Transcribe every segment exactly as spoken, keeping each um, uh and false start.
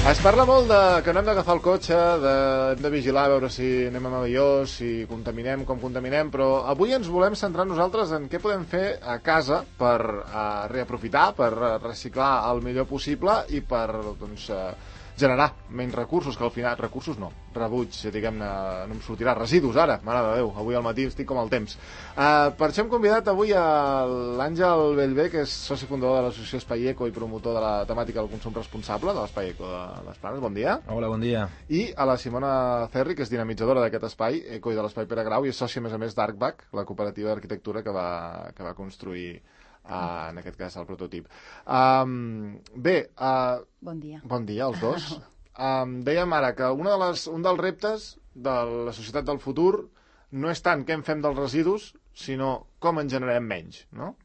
Es parla molt de que no hem d'agafar el cotxe, de, hem de vigilar a veure si anem amb avió, si contaminem, com contaminem, però avui ens volem centrar nosaltres en què podem fer a casa per uh, reaprofitar, per uh, reciclar el millor possible i per doncs, uh, generar menys recursos, que al final, recursos no, rebuig, diguem-ne, no em sortirà, residus ara, mare de Déu, avui al matí estic com el temps. Uh, per això hem convidat avui a l'Àngel Bellver, que és soci fundador de l'associació Espai Eco i promotor de la temàtica del consum responsable de l'Espai Eco de les Planes. Bon dia. Hola, bon dia. I a la Simona Ferri, que és dinamitzadora d'aquest espai Eco i de l'Espai Pere Grau, i és sòcia, a més a més, d'Arcbac, la cooperativa d'arquitectura que va, que va construir Uh, en aquest cas el prototip. Um, bé, uh, bon dia. Bon dia als dos. Um, dèiem ara que una de les, un dels reptes de la societat del futur no és tant què en fem dels residus, sinó com en generem menys, no?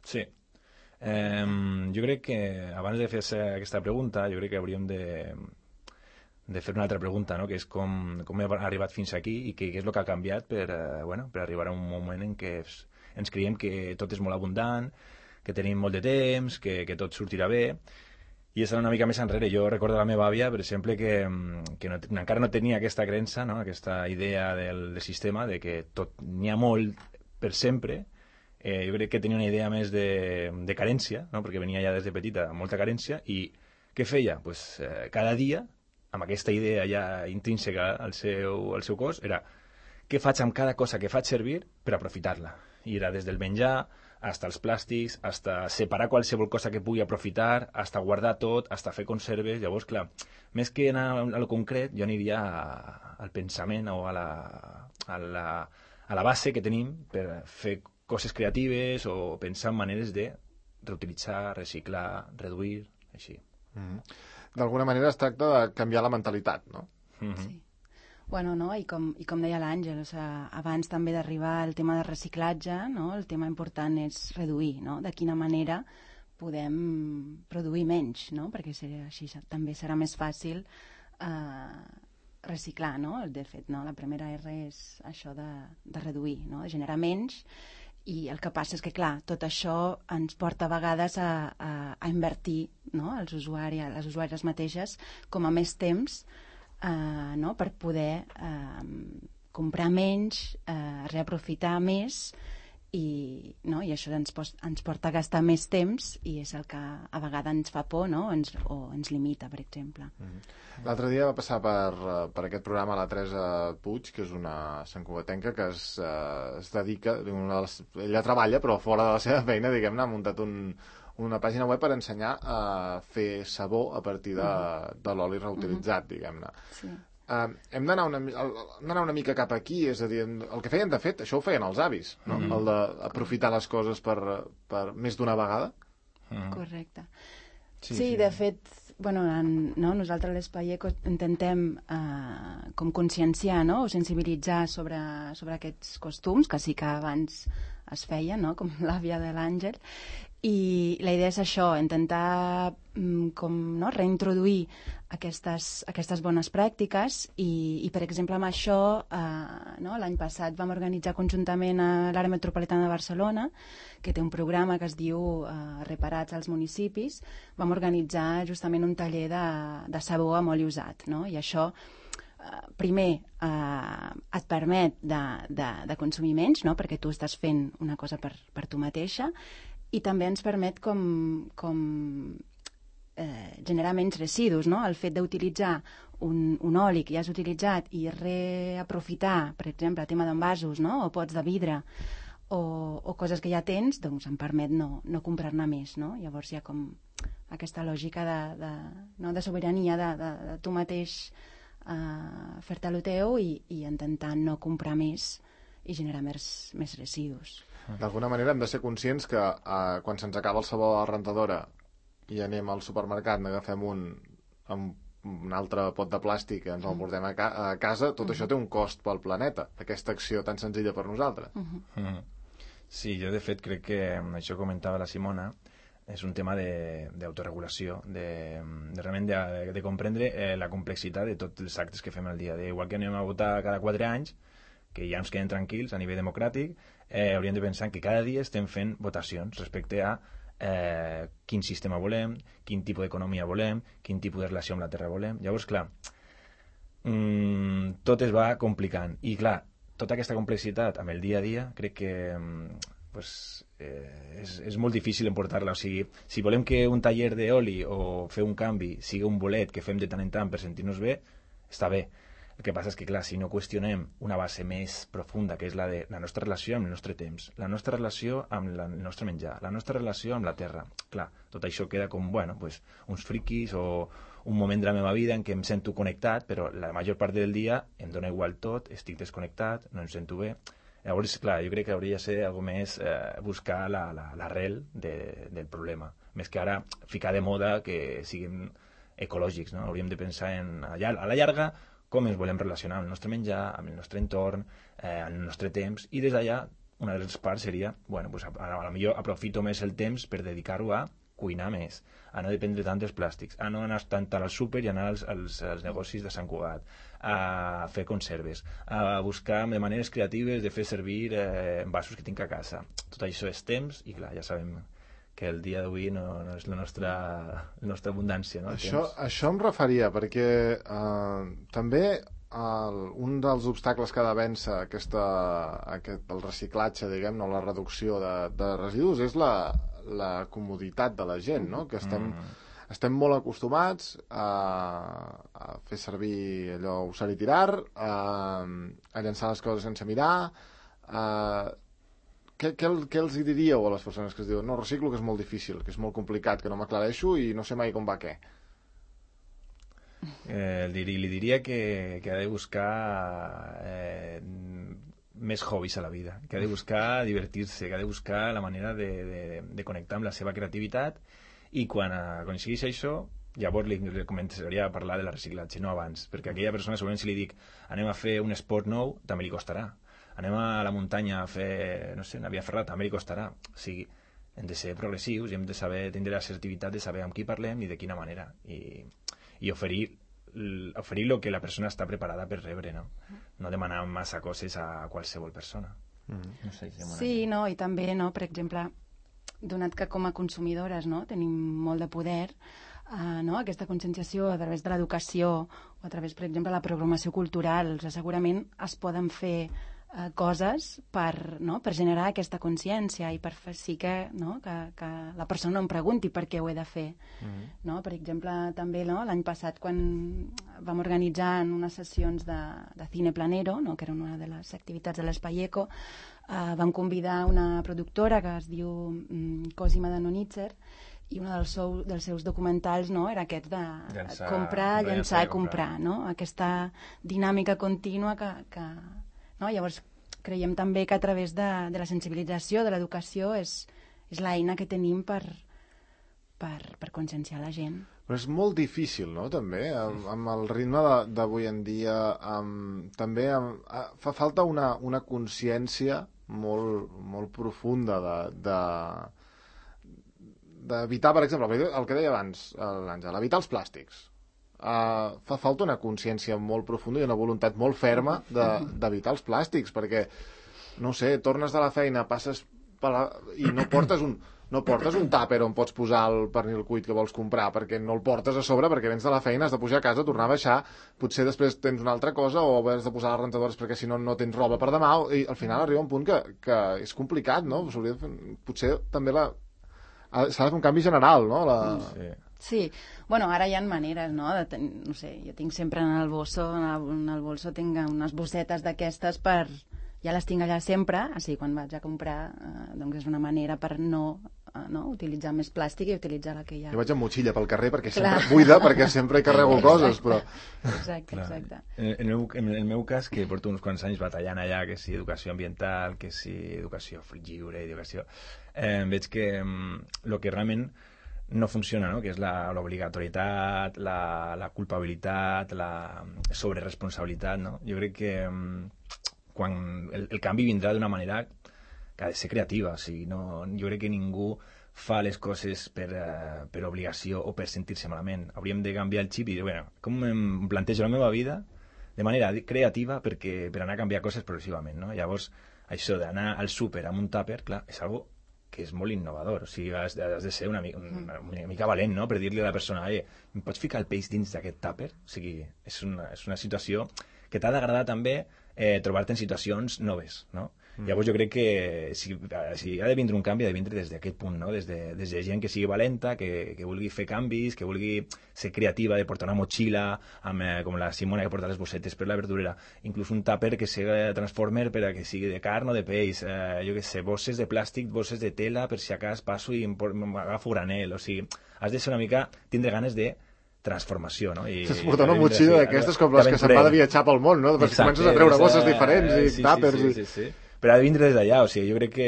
Sí. Um, jo crec que abans de fer aquesta pregunta, jo crec que hauríem de, de fer una altra pregunta, no? Que és com, com hem arribat fins aquí i què és el que ha canviat per, uh, bueno, per arribar a un moment en què és, ens creiem que tot és molt abundant, que tenim molt de temps, que, que tot sortirà bé, i és una mica més enrere. Jo recordo la meva àvia, per exemple, que, que no, encara no tenia aquesta creença, no? Aquesta idea del, del sistema, de que tot n'hi ha molt per sempre. Eh, jo crec que tenia una idea més de, de carència, no? Perquè venia ja des de petita amb molta carència, i què feia? Pues, eh, cada dia, amb aquesta idea ja intrínseca al seu, al seu cos, era què faig amb cada cosa que faig servir per aprofitar-la. I era des del menjar, hasta els plàstics, hasta separar qualsevol cosa que pugui aprofitar, hasta guardar tot, hasta fer conserves. Llavors, clar, més que anar a lo concret, jo aniria a, al pensament o a la, a, la, a la base que tenim per fer coses creatives o pensar en maneres de reutilitzar, reciclar, reduir, així. Mm-hmm. D'alguna manera es tracta de canviar la mentalitat, no? Mm-hmm. Sí. Bueno, no? I, com, i com deia l'Àngel, o sigui, abans també d'arribar al tema de reciclatge, no? El tema important és reduir, no? De quina manera podem produir menys, no? Perquè serà, així també serà més fàcil eh, reciclar, no? De fet, no? La primera R és això de, de reduir, no? De generar menys, i el que passa és que, clar, tot això ens porta a vegades a, a, a invertir, no? Els usuaris, les usuàries mateixes com a més temps, Uh, no? Per poder uh, comprar menys, uh, reaprofitar més, i, no? I això ens, pos, ens porta a gastar més temps, i és el que a vegades ens fa por, no? Ens, o ens limita, per exemple. Mm-hmm. L'altre dia va passar per, per aquest programa la Teresa Puig, que és una santcugatenca que es, uh, es dedica, una de les, ella treballa però fora de la seva feina, diguem-ne, ha muntat un una pàgina web per ensenyar a fer sabó a partir de, de l'oli reutilitzat, uh-huh. diguem-ne. Sí. Uh, hem d'anar una, una, una mica cap aquí, és a dir, el que feien, de fet, això ho feien els avis, no? Uh-huh. El d'aprofitar les coses per, per més d'una vegada. Uh-huh. Correcte. Sí, sí, sí, de fet, bueno, en, no, nosaltres a l'Espai Eco intentem eh, com conscienciar, no? O sensibilitzar sobre, sobre aquests costums, que sí que abans es feien, no? Com l'àvia de l'Àngel, i la idea és això, intentar com, no, reintroduir aquestes, aquestes bones pràctiques, i, i per exemple amb això eh, no, l'any passat vam organitzar conjuntament a l'àrea metropolitana de Barcelona, que té un programa que es diu eh, Reparats als municipis. Vam organitzar justament un taller de, de sabó amb oli usat, no? I això eh, primer eh, et permet de, de, de consumir menys, no? Perquè tu estàs fent una cosa per, per tu mateixa, i també ens permet com, com eh, generar menys residus, no? El fet d'utilitzar un, un oli que ja has utilitzat i reaprofitar, per exemple, el tema d'envasos, no? O pots de vidre, o, o coses que ja tens, doncs em permet no, no comprar-ne més, no? Llavors hi ha com aquesta lògica de, de, no? de sobirania de, de, de tu mateix eh, fer-te el teu i, i intentar no comprar més i generar més, més residus. D'alguna manera hem de ser conscients que eh, quan se'ns acaba el sabó a la rentadora i anem al supermercat, n'agafem un amb un altre pot de plàstic i ens el portem a, ca a casa, tot uh-huh. això té un cost pel planeta, aquesta acció tan senzilla per nosaltres. Uh-huh. Uh-huh. Sí, jo de fet crec que això comentava la Simona, és un tema d'autoregulació, de, de, de realment de, de comprendre eh, la complexitat de tots els actes que fem al dia. De, igual que anem a votar cada quatre anys, que ja ens queden tranquils a nivell democràtic, eh, hauríem de pensar que cada dia estem fent votacions respecte a eh, quin sistema volem, quin tipus d'economia volem, quin tipus de relació amb la terra volem. Llavors, clar, mmm, tot es va complicant. I, clar, tota aquesta complexitat amb el dia a dia, crec que pues, eh, és, és molt difícil emportar-la. O sigui, si volem que un taller d'oli o fer un canvi sigui un bolet que fem de tant en tant per sentir-nos bé, està bé. El que passa és que, clar, si no qüestionem una base més profunda, que és la de la nostra relació amb el nostre temps, la nostra relació amb la, el nostre menjar, la nostra relació amb la terra, clar, tot això queda com, bueno, pues, uns friquis o un moment de la meva vida en què em sento connectat, però la major part del dia em dona igual tot, estic desconnectat, no em sento bé. Llavors, clar, jo crec que hauria de ser algo més eh, buscar l'arrel la, la, de, del problema, més que ara ficar de moda que siguin ecològics, no? Hauríem de pensar en, a la llarga, com ens volem relacionar amb el nostre menjar, amb el nostre entorn, eh, amb el nostre temps, i des d'allà una de les parts seria, bueno, pues a, a, a la millor aprofito més el temps per dedicar-ho a cuinar més, a no dependre tant dels plàstics, a no anar tant al súper i anar als, als, als negocis de Sant Cugat, a fer conserves, a buscar de maneres creatives de fer servir eh, envasos que tinc a casa. Tot això és temps i, clar, ja sabem que el dia d'avui no, no és la nostra, la nostra abundància. No? Això, això em referia, perquè eh, també el, un dels obstacles que ha de vèncer aquesta, aquest, el reciclatge, diguem, no, la reducció de, de residus, és la, la comoditat de la gent, no? Que estem, mm. estem molt acostumats a, a fer servir allò, usar i tirar, a, a llançar les coses sense mirar, a Què, què, què els hi diríeu a les persones que es diuen no, reciclo, que és molt difícil, que és molt complicat, que no m'aclareixo i no sé mai com va què? Eh, li, li diria que, que ha de buscar eh, més hobbies a la vida, que ha de buscar divertir-se, que ha de buscar la manera de, de, de connectar amb la seva creativitat i quan aconsegueix això llavors li, li començaria a parlar de la reciclatge, no abans, perquè aquella persona segurament si li dic anem a fer un esport nou, també li costarà. Anem a la muntanya a fer, no sé, una via ferrata, també li costarà. O sigui, hem de ser progressius i hem de saber tindre l'assertivitat de saber amb qui parlem i de quina manera. I, i oferir, oferir el que la persona està preparada per rebre, no? No demanar massa coses a qualsevol persona. Mm-hmm. No sé, si sí, no, i també, no, per exemple, donat que com a consumidores no, tenim molt de poder, Uh, no? Aquesta conscienciació a través de l'educació o a través, per exemple, de la programació cultural, o sigui, segurament es poden fer uh, coses per, no? per generar aquesta consciència i per fer sí que, no? que, que la persona no em pregunti per què ho he de fer. Mm-hmm. No? Per exemple, també no? l'any passat quan vam organitzar unes sessions de, de Cine Planero, no? que era una de les activitats de l'Espai Eco, uh, vam convidar una productora que es diu um, Cosima de Nonitzer, i un dels, seu, dels seus documentals no, era aquest de llançar, comprar, llançar i comprar, comprar no? Aquesta dinàmica contínua que, que no? Llavors creiem també que a través de, de la sensibilització, de l'educació és, és l'eina que tenim per, per, per conscienciar la gent. Però és molt difícil, no?, també, amb, amb el ritme d'avui en dia, amb, també amb, fa falta una, una consciència molt, molt profunda de... de d'evitar, per exemple, el que deia abans l'Àngel, evitar els plàstics. Uh, fa falta una consciència molt profunda i una voluntat molt ferma d'evitar de, els plàstics, perquè, no sé, tornes de la feina, passes per la, i no portes un no portes un tàper on pots posar el pernil cuit que vols comprar, perquè no el portes a sobre, perquè vens de la feina, has de pujar a casa, tornar a baixar, potser després tens una altra cosa, o has de posar les rentadores perquè si no no tens roba per demà, i al final arriba un punt que, que és complicat, no? Potser també la s'ha de fer un canvi general, no? La... Sí. Sí, bueno, ara hi ha maneres, no? De ten... No sé, jo tinc sempre en el bolso, en el, en el bolso tinc unes bossetes d'aquestes per... Ja les tinc allà sempre, així quan vaig a comprar, eh, doncs és una manera per no, eh, no utilitzar més plàstic i utilitzar la que hi ha. Jo vaig amb motxilla pel carrer perquè Clar. sempre buida, perquè sempre hi carrego coses, però... Exacte, exacte. En el, meu, en el meu cas, que porto uns quants anys batallant allà, que si educació ambiental, que si educació lliure, educació... Eh, veig que el que realment no funciona, no? Que és l'obligatorietat, la, la culpabilitat, la sobreresponsabilitat, no? Jo crec que quan el, el canvi vindrà d'una manera que ha de ser creativa, o sigui, no, jo crec que ningú fa les coses per, uh, per obligació o per sentir-se malament. Hauríem de canviar el xip i dir, bueno, com em plantejo la meva vida de manera creativa perquè, per anar a canviar coses progressivament, no? Llavors, això d'anar al súper amb un tàper, clar, és algo que és molt innovador. O sigui, has, has de ser una, mica, una, una mica valent, no?, per dir-li a la persona, eh, em pots ficar el peix dins d'aquest tàper? O sigui, és una, és una situació que t'ha d'agradar també eh, trobar-te en situacions noves, no? Mm. Llavors jo crec que si, si ha de vindre un canvi, ha de vindre des d'aquest punt, no? Des de, des de gent que sigui valenta, que, que vulgui fer canvis, que vulgui ser creativa, de portar una motxilla, amb, eh, com la Simona que porta les bossetes per la verdurera, inclús un tàper que sigui transformer per a que sigui de carn o de peix, eh, jo què sé, bosses de plàstic, bosses de tela, per si a cas passo i m'agafo granel, o sigui, has de ser una mica, tindre ganes de transformació, no? I, es portar una motxilla d'aquestes com les que se'n va de viatjar pel món, no? Perquè comences a treure bosses diferents i sí, tàpers sí, sí, sí, sí. Però ha de vindre des d'allà, o sigui, jo crec que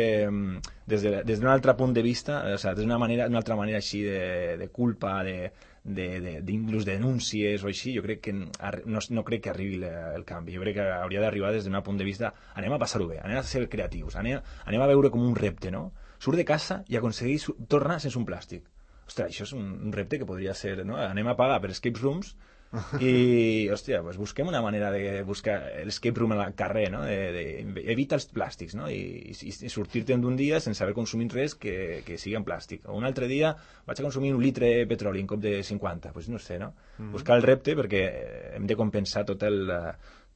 des d'un de, d'un altre punt de vista, o sigui, des d'una manera, d'una altra manera així de, de culpa, de, de, de, d'inclús de denúncies o així, jo crec que no, no crec que arribi el canvi. Jo crec que hauria d'arribar des d'un punt de vista, anem a passar-ho bé, anem a ser creatius, anem, anem a veure com un repte, no? Surt de casa i aconseguir tornar sense un plàstic. Ostres, això és un, un repte que podria ser, no? Anem a pagar per escape rooms i, hòstia, pues busquem una manera de buscar l'escape room al carrer, no? De, de, evita els plàstics, no? I, i, i sortir-te'n d'un dia sense haver consumit res que, que sigui en plàstic. O un altre dia vaig a consumir un litre de petroli en cop de cinquanta, pues no sé, no? Mm. Buscar el repte perquè hem de compensar tot el,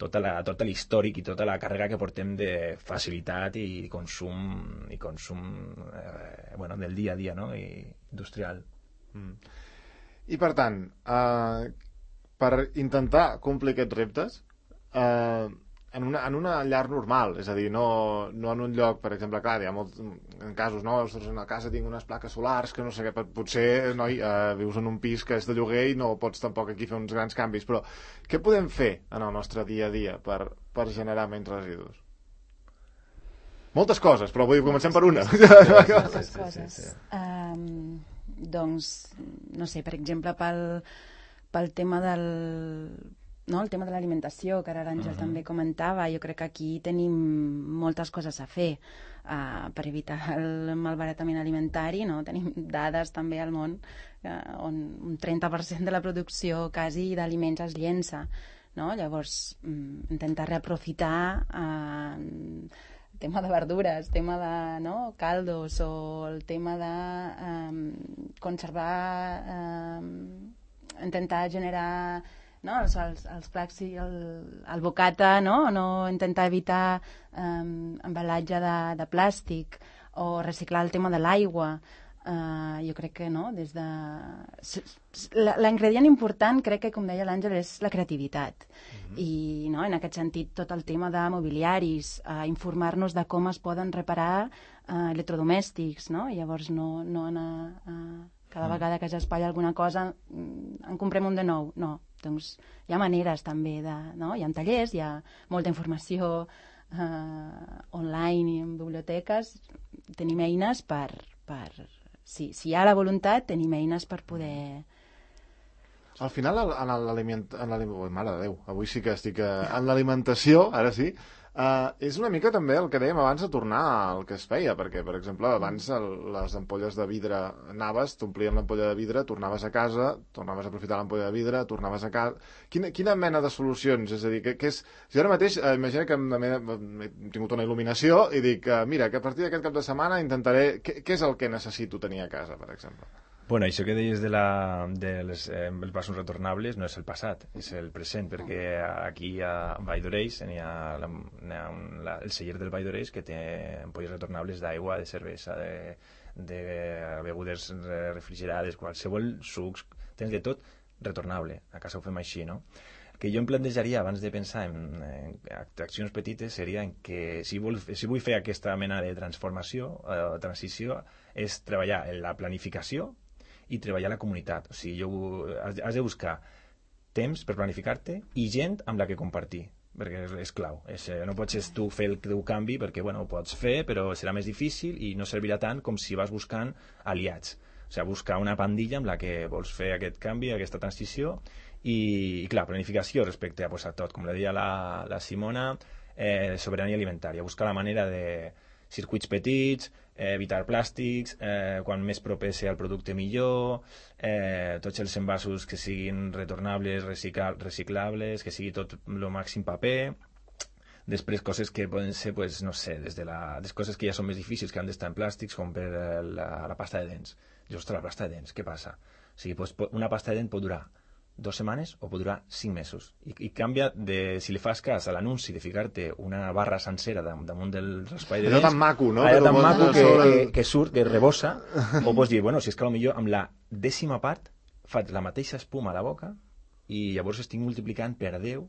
tota la, tot l'històric i tota la càrrega que portem de facilitat i consum, i consum eh, bueno, del dia a dia, no? I industrial. Mm. I per tant, eh, per intentar complir aquests reptes eh, en, una, en una llar normal, és a dir, no, no en un lloc, per exemple, clar, hi ha molts en casos, no? Ostres, en la casa tinc unes plaques solars que no sé què, potser noi, eh, vius en un pis que és de lloguer i no pots tampoc aquí fer uns grans canvis, però què podem fer en el nostre dia a dia per, per generar menys residus? Moltes coses, però vull comencem per una. Moltes coses. Um, doncs, no sé, per exemple, pel, pel tema del... No, el tema de l'alimentació, que ara l'Àngel uh-huh. també comentava, jo crec que aquí tenim moltes coses a fer uh, per evitar el malbaratament alimentari, no? Tenim dades també al món uh, on un trenta per cent de la producció quasi d'aliments es llença, no? Llavors, um, intentar reaprofitar uh, tema de verdures, tema de no, caldos o el tema de um, conservar, um, intentar generar no, els, els, els plats i el, el bocata, no? No intentar evitar um, embalatge de, de plàstic o reciclar el tema de l'aigua. Uh, jo crec que no, des de... L'ingredient important, crec que, com deia l'Àngel, és la creativitat. Mm-hmm. I no, en aquest sentit, tot el tema de mobiliaris, uh, informar-nos de com es poden reparar uh, electrodomèstics, no? I llavors no, no anar... Uh, cada vegada que s'espatlla alguna cosa en comprem un de nou. No, doncs hi ha maneres també de... No? Hi ha tallers, hi ha molta informació eh, online i en biblioteques. Tenim eines per... per si, si hi ha la voluntat, tenim eines per poder... Al final, en l'aliment... Oh, mare de Déu, avui sí que estic... En l'alimentació, ara sí... Uh, és una mica també el que dèiem abans de tornar al que es feia, perquè, per exemple, abans el, les ampolles de vidre anaves, t'omplien l'ampolla de vidre, tornaves a casa, tornaves a aprofitar l'ampolla de vidre, tornaves a casa... Quina, quina mena de solucions? És a dir, que, que és... Jo ara mateix, eh, imagina que he tingut una il·luminació i dic, uh, mira, que a partir d'aquest cap de setmana intentaré... Què, què és el que necessito tenir a casa, per exemple? Bueno, això que deies de, la, de les, eh, els vasos retornables no és el passat, és el present, perquè aquí a Valldoreix hi ha, la, hi ha un, la, el celler del Valldoreix que té ampolles retornables d'aigua, de cervesa, de, de begudes refrigerades, qualsevol sucs, tens de tot retornable. A casa ho fem així, no? El que jo em plantejaria abans de pensar en, en accions petites seria en que si, vol, si vull fer aquesta mena de transformació o eh, transició és treballar en la planificació i treballar a la comunitat. O sigui, jo, has, has de buscar temps per planificar-te i gent amb la que compartir, perquè és, és clau. És, no pots tu fer el teu canvi perquè bueno, ho pots fer, però serà més difícil i no servirà tant com si vas buscant aliats. O sigui, buscar una pandilla amb la que vols fer aquest canvi, aquesta transició i, i clar, planificació respecte a, pues, a tot, com la deia la, la Simona, eh, sobirania alimentària, buscar la manera de circuits petits, eh, evitar plàstics, eh, quan més proper sigui el producte millor, eh, tots els envasos que siguin retornables, reciclables, que sigui tot el màxim paper, Després, coses que poden ser, pues, no sé, des de la, des coses que ja són més difícils, que han d'estar en plàstics, com per la, la pasta de dents. I, ostres, la pasta de dents, què passa? O sigui, pues, una pasta de dent pot durar dos setmanes o pot durar cinc mesos. I, i canvia de, si li fas cas a l'anunci de ficar-te una barra sencera damunt del raspall de dents... Allò tan maco, no? Allò tan maco que, sobre... que, que surt, que rebossa, o pots dir, bueno, si és que potser amb la dècima part faig la mateixa espuma a la boca i llavors estic multiplicant per deu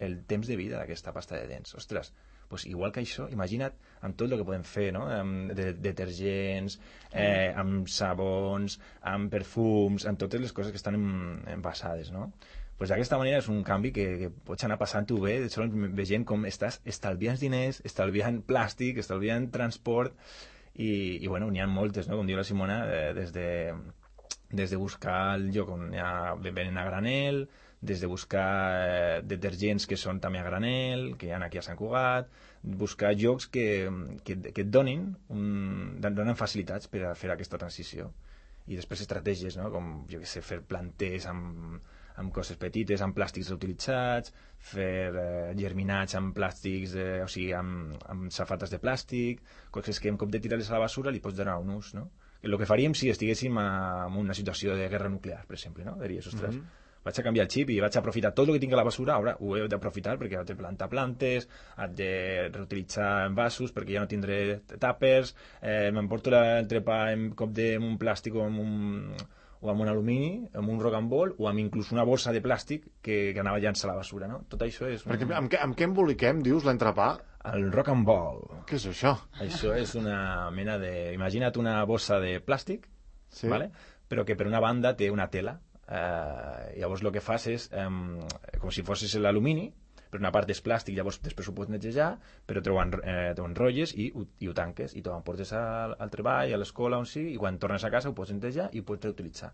el temps de vida d'aquesta pasta de dents. Ostres, pues igual que això, imagina't amb tot el que podem fer, no? Amb de, detergents, eh, amb sabons, amb perfums, amb totes les coses que estan envasades, no? Pues d'aquesta manera és un canvi que, que pots anar passant-ho bé, sols veient com estàs estalviant diners, estalviant plàstic, estalviant transport, i, i bueno, n'hi ha moltes, no? Com diu la Simona, eh, des de des de buscar el lloc on hi ha, venen a granel, des de buscar eh, detergents que són també a granel, que hi ha aquí a Sant Cugat, buscar llocs que, que, que et donin, un, donen facilitats per a fer aquesta transició. I després estratègies, no? Com, jo què sé, fer planters amb, amb coses petites, amb plàstics reutilitzats, fer eh, germinats amb plàstics, eh, o sigui, amb, amb safates de plàstic, coses que en cop de tirar-les a la basura li pots donar un ús, no? El que faríem si estiguéssim en una situació de guerra nuclear, per exemple, no? Diries, ostres, mm -hmm. vaig a canviar el xip i vaig a aprofitar tot el que tinc a la basura, ara ho he d'aprofitar perquè he de plantar plantes, he de reutilitzar envasos perquè ja no tindré tàpers, eh, m'emporto l'entrepà en cop de amb un plàstic o amb un, o amb un alumini, amb un rock and roll, o amb inclús una bossa de plàstic que, que anava llançant a la basura, no? Tot això és... Perquè, amb, què, amb què emboliquem, dius, l'entrepà? El rock and roll. Què és això? Això és una mena de... Imagina't una bossa de plàstic, sí. ¿vale? Però que per una banda té una tela. Eh, llavors el que fas és, eh, com si fossis l'alumini, per una part és plàstic, llavors després ho pots netejar, però t'ho eh, enrotlles i, i ho tanques, i t'ho portes al, al treball, a l'escola, on sigui, i quan tornes a casa ho pots netejar i ho pots reutilitzar.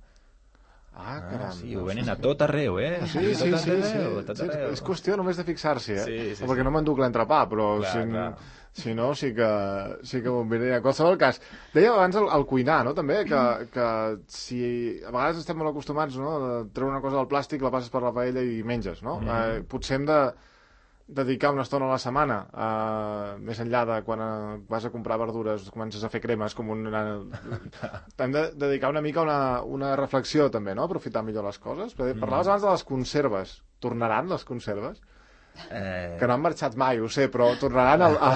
Ah, caram. Ah, sí, ho venen a tot arreu, eh? Sí, sí, sí, sí, sí. Tot arreu. Sí, és qüestió només de fixar-s'hi, eh? Sí, sí, perquè sí. no m'enduc l'entrepà, però clar, si, clar. si no, sí que, sí que m'ho miré. En qualsevol cas, deia abans el, el cuinar, no?, també, que, que si a vegades estem molt acostumats, no?, de treure una cosa del plàstic, la passes per la paella i menges, no? Mm. Eh, potser hem de dedicar una estona a la setmana, eh, més enllà de quan eh, vas a comprar verdures, comences a fer cremes, com una... hem de dedicar una mica una, una reflexió també, no?, aprofitar millor les coses. Parlaves abans de les conserves. Tornaran les conserves? Eh... Que no han marxat mai, ho sé, però tornaran al... A...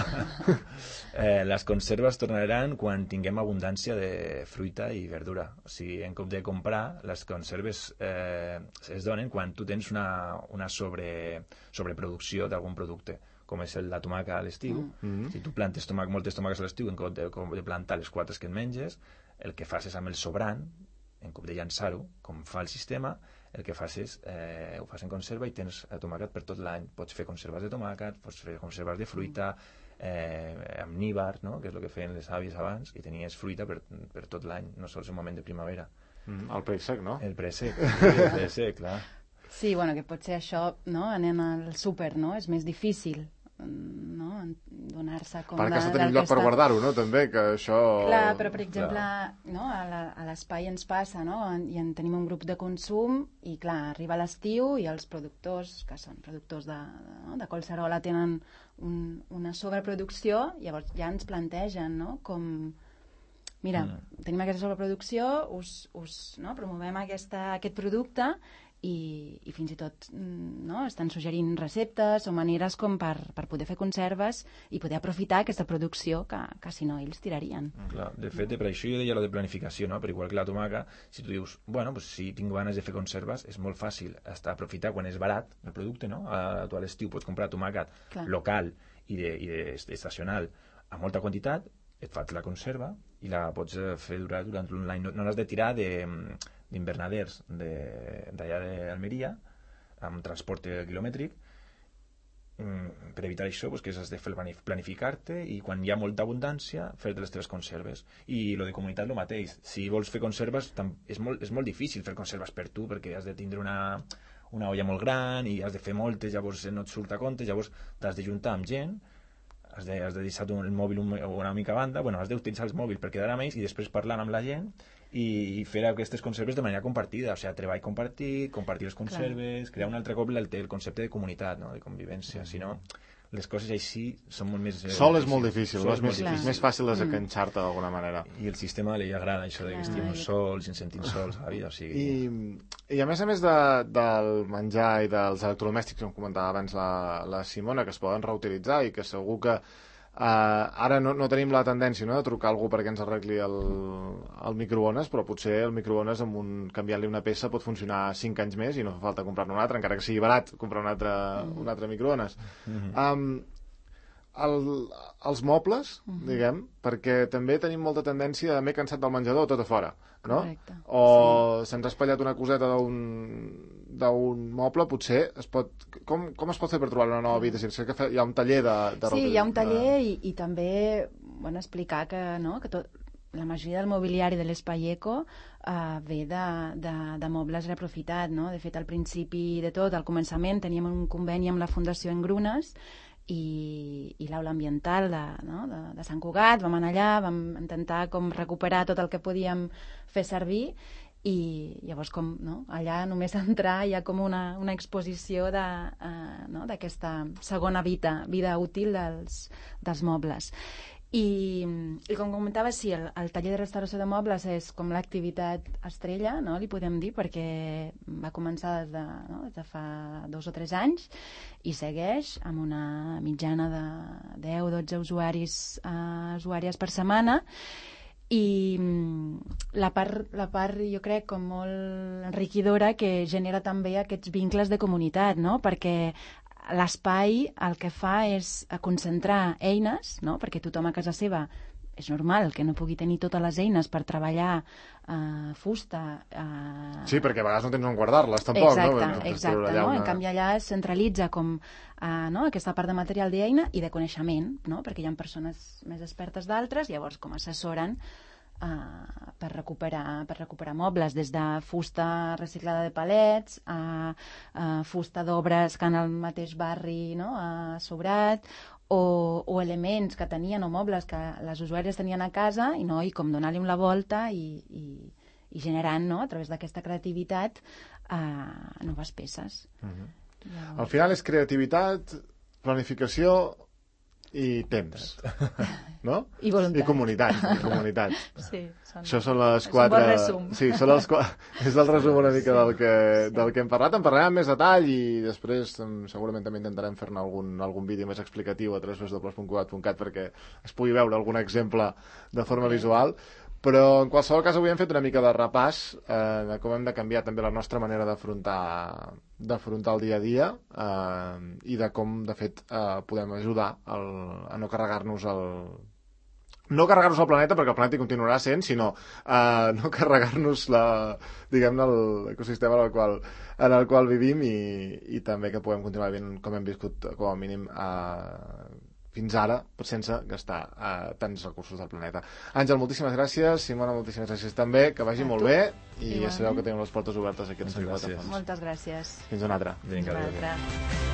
eh, les conserves tornaran quan tinguem abundància de fruita i verdura. O sigui, en compte de comprar, les conserves eh, es donen quan tu tens una, una sobre, sobreproducció d'algun producte, com és la tomaca a l'estiu. Mm-hmm. Si tu plantes tomac, moltes tomaques a l'estiu, en compte de, de plantar les quatre que en menges, el que fas és amb el sobrant, en compte de llançar-ho, com fa el sistema, el que fas és, eh, ho fas en conserva i tens tomàquet per tot l'any. Pots fer conserves de tomàquet, pots fer conserves de fruita, eh, amb níbar, no?, que és el que feien les àvies abans, i tenies fruita per, per tot l'any, no sols en moment de primavera. Mm, el préssec, no? El préssec, sí, el préssec, clar. Sí, bueno, que potser això, no?, anant al súper, no?, és més difícil, no?, donar-se com perquè de, has de tenir un lloc per guardar-ho, no?, també, que això... Clar, però per exemple, no, a l'espai ens passa, no?, i en tenim un grup de consum i clar, arriba l'estiu i els productors, que són productors de, no, de Collserola, tenen un, una sobreproducció, llavors ja ens plantegen, no?, com... Mira, mm. tenim aquesta sobreproducció, us, us no, promovem aquesta, aquest producte i, i fins i tot no, estan suggerint receptes o maneres com per, per poder fer conserves i poder aprofitar aquesta producció que, que si no ells tirarien. Clar, de fet, per això jo deia lo de planificació, no? Per igual que la tomaca, si tu dius, bueno, pues, si tinc ganes de fer conserves, és molt fàcil hasta aprofitar quan és barat el producte, no? A, tu a l'estiu pots comprar tomàquet Clar. local i, de, i de, estacional a molta quantitat, et fas la conserva i la pots fer durar durant un any. No, no l'has de tirar de... d'invernaders d'allà d'Almeria amb transport quilomètric mm, per evitar això pues, que has de fer planificar-te i quan hi ha molta abundància fer-te les teves conserves i lo de comunitat el mateix, si vols fer conserves és molt, és molt difícil fer conserves per tu perquè has de tindre una, una olla molt gran i has de fer moltes, llavors no et surt a compte, llavors t'has de juntar amb gent, has de, has de deixar el mòbil una mica a banda, bueno, has d'utilitzar el mòbil per quedar amb ells i després parlant amb la gent i fer aquestes conserves de manera compartida, o sigui, treball compartit, compartir les conserves, Clar. crear un altre cop el, el concepte de comunitat, no? De convivència, mm. si no, les coses així són molt més... Eh, Sol és molt difícil, Sol no? És, és més, molt és més fàcil desenganxar-te d'alguna manera. I el sistema li agrada això de que estem sols i ens sentim sols a la vida, o sigui... I, i a més a més de, del menjar i dels electrodomèstics, com comentava abans la, la Simona, que es poden reutilitzar i que segur que Uh, ara no, no tenim la tendència, no?, de trucar a algú perquè ens arregli el, el microones, però potser el microones amb un, canviant-li una peça pot funcionar cinc anys més i no fa falta comprar-ne un altre, encara que sigui barat comprar un altre, un altre microones. Mm-hmm. um, el, els mobles, mm-hmm. diguem, perquè també tenim molta tendència a m'he cansat del menjador tot a fora, no? Correcte. O sí. se'ns ha espatllat una coseta d'un d'un moble, potser es pot... Com, com es pot fer per trobar una nova habitació? Sé que hi ha un taller de... de sí, hi ha un taller de... i, i també bueno, explicar que, no, que tot, la majoria del mobiliari de l'Espai Eco uh, ve de, de, de mobles reaprofitat, no? De fet, al principi de tot, al començament, teníem un conveni amb la Fundació Engrunes i, i l'aula ambiental de, no? de, de Sant Cugat. Vam anar allà, vam intentar com recuperar tot el que podíem fer servir i llavors com, no? Allà només entrar hi ha com una, una exposició de, uh, no? d'aquesta segona vida, vida útil dels, dels mobles. I, i com comentava, sí, el, el taller de restauració de mobles és com l'activitat estrella, no? Li podem dir, perquè va començar des de, no? des de fa dos o tres anys i segueix amb una mitjana de deu o dotze usuaris, uh, usuàries per setmana. I la part, la part, jo crec, com molt enriquidora que genera també aquests vincles de comunitat, no? Perquè l'espai el que fa és concentrar eines, no? Perquè tothom a casa seva és normal que no pugui tenir totes les eines per treballar uh, fusta. Uh... Sí, perquè a vegades no tens on guardar-les, tampoc. Exacte, no? exacte. No? Una... En canvi, allà es centralitza com uh, no? aquesta part de material d'eina i de coneixement, no? Perquè hi ha persones més expertes d'altres, llavors com assessoren uh, per, recuperar, per recuperar mobles, des de fusta reciclada de palets a uh, fusta d'obres que en el mateix barri no? ha sobrat, O, o elements que tenien o mobles que les usuàries tenien a casa i, no, i com donar-li la volta i, i, i generant no, a través d'aquesta creativitat uh, noves peces. Uh-huh. Llavors... Al final és creativitat, planificació i temps, no? I voluntat. I comunitat. I comunitat. Sí, són... Això són les és quatre... un bon resum. Sí, són els qu... és el resum una mica sí, del, que, sí. del que hem parlat. En parlarem amb més detall i després segurament també intentarem fer-ne algun, algun vídeo més explicatiu a w w w punt cugat punt cat perquè es pugui veure algun exemple de forma sí. visual. Però en qualsevol cas avui hem fet una mica de repàs eh, de com hem de canviar també la nostra manera d'afrontar d'afrontar el dia a dia eh, i de com, de fet, eh, podem ajudar el, a no carregar-nos el... no carregar-nos el planeta, perquè el planeta hi continuarà sent, sinó eh, no carregar-nos la, diguem-ne, l'ecosistema en el qual, en el qual vivim i, i també que puguem continuar vivint com hem viscut, com a mínim, eh, fins ara, sense gastar uh, tants recursos del planeta. Àngel, moltíssimes gràcies. Simona, moltíssimes gràcies també. Que vagi a molt tu. bé i ja sabeu que tenim les portes obertes aquí a Moltes gràcies. Moltes gràcies. Fins una altra. Vinga, Fins una altra.